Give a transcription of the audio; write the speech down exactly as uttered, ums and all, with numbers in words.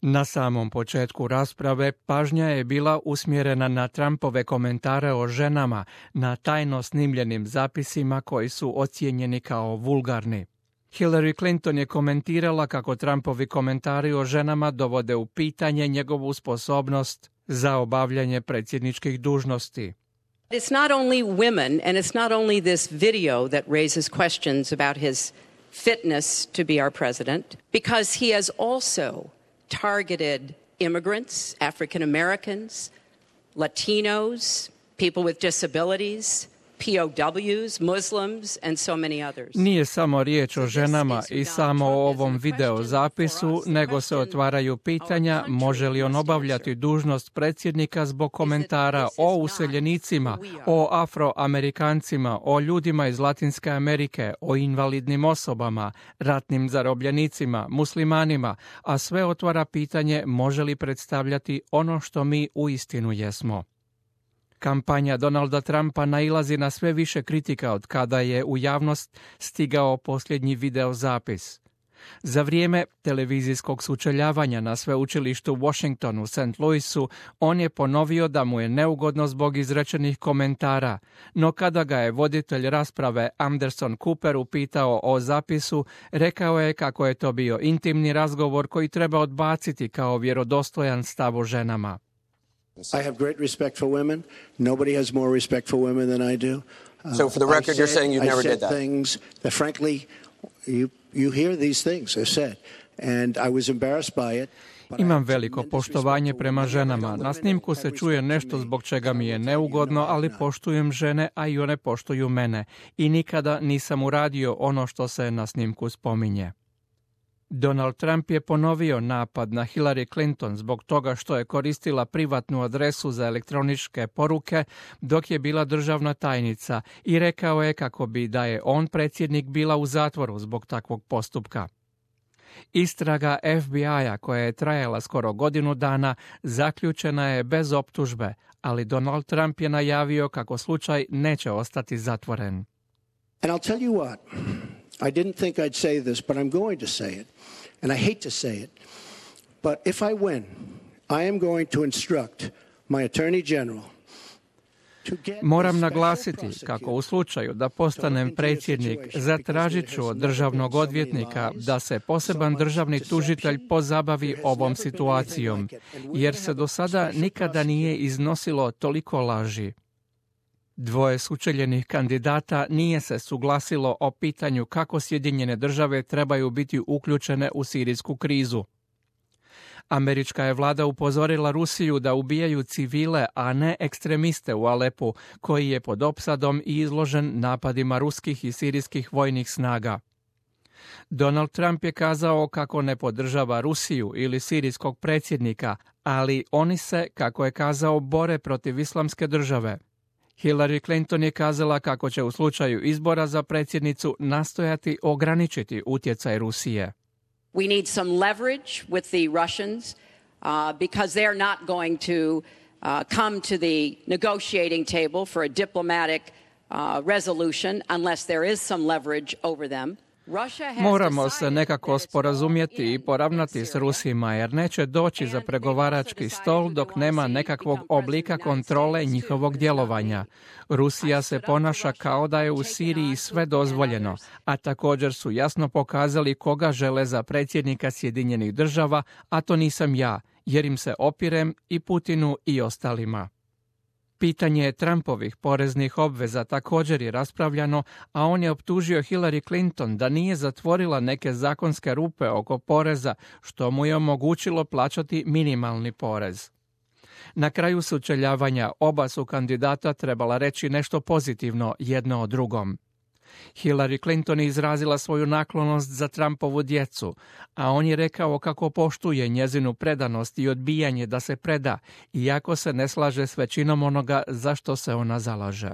Na samom početku rasprave pažnja je bila usmjerena na Trumpove komentare o ženama na tajno snimljenim zapisima koji su ocijenjeni kao vulgarni. Hillary Clinton je komentirala kako Trumpovi komentari o ženama dovode u pitanje njegovu sposobnost za obavljanje predsjedničkih dužnosti. It's not only women and it's not only this video that raises questions about his fitness to be our president, because he has also targeted immigrants, African Americans, Latinos, people with disabilities, P O Ws, Muslims and so many others. Nije samo riječ o ženama i samo o ovom video zapisu, nego se otvaraju pitanja može li on obavljati dužnost predsjednika zbog komentara o useljenicima, o afroamerikancima, o ljudima iz Latinske Amerike, o invalidnim osobama, ratnim zarobljenicima, muslimanima, a sve otvara pitanje može li predstavljati ono što mi uistinu jesmo. Kampanja Donalda Trumpa nailazi na sve više kritika od kada je u javnost stigao posljednji video zapis. Za vrijeme televizijskog sučeljavanja na sveučilištu Washington u Saint Louisu, on je ponovio da mu je neugodno zbog izrečenih komentara, no kada ga je voditelj rasprave Anderson Cooper upitao o zapisu, rekao je kako je to bio intimni razgovor koji treba odbaciti kao vjerodostojan stav o ženama. I have great respect for women. Nobody has more respect for women than I do. Uh, so for the record, said, you're saying you never did that? I said things that, frankly, you, you hear these things are said. And I was embarrassed by it. Imam veliko poštovanje prema ženama. Na snimku se čuje nešto zbog čega mi je neugodno, ali poštujem žene, a i one poštuju mene. I nikada nisam uradio ono što se na snimku spominje. Donald Trump je ponovio napad na Hillary Clinton zbog toga što je koristila privatnu adresu za elektroničke poruke dok je bila državna tajnica i rekao je kako bi da je on predsjednik bila u zatvoru zbog takvog postupka. Istraga F B I-a koja je trajala skoro godinu dana zaključena je bez optužbe, ali Donald Trump je najavio kako slučaj neće ostati zatvoren. And I'll tell you what. I didn't think I'd say this, but I'm going to say it. And I hate to say it. But if I win, I am going to instruct my Attorney General to get Moram naglasiti kako u slučaju da postanem predsjednik zatražit ću od državnog odvjetnika da se poseban državni tužitelj pozabavi ovom situacijom, jer se do sada nikada nije iznosilo toliko laži. Dvoje sučeljenih kandidata nije se suglasilo o pitanju kako Sjedinjene države trebaju biti uključene u sirijsku krizu. Američka je vlada upozorila Rusiju da ubijaju civile, a ne ekstremiste u Alepu, koji je pod opsadom i izložen napadima ruskih i sirijskih vojnih snaga. Donald Trump je kazao kako ne podržava Rusiju ili sirijskog predsjednika, ali oni se, kako je kazao, bore protiv islamske države. Hillary Clinton je kazala kako će u slučaju izbora za predsjednicu nastojati ograničiti utjecaj Rusije. We need some leverage with the Russians uh, because they are not going to uh, come to the negotiating table for a diplomatic uh, resolution unless there is some leverage over them. Moramo se nekako sporazumjeti i poravnati s Rusima, jer neće doći za pregovarački stol dok nema nekakvog oblika kontrole njihovog djelovanja. Rusija se ponaša kao da je u Siriji sve dozvoljeno, a također su jasno pokazali koga žele za predsjednika Sjedinjenih država, a to nisam ja, jer im se opirem i Putinu i ostalima. Pitanje Trumpovih poreznih obveza također je raspravljano, a on je optužio Hillary Clinton da nije zatvorila neke zakonske rupe oko poreza, što mu je omogućilo plaćati minimalni porez. Na kraju sučeljavanja oba su kandidata trebala reći nešto pozitivno jedno o drugom. Hillary Clinton je izrazila svoju naklonost za Trumpovu djecu, a on je rekao kako poštuje njezinu predanost i odbijanje da se preda, iako se ne slaže s većinom onoga za što se ona zalaže.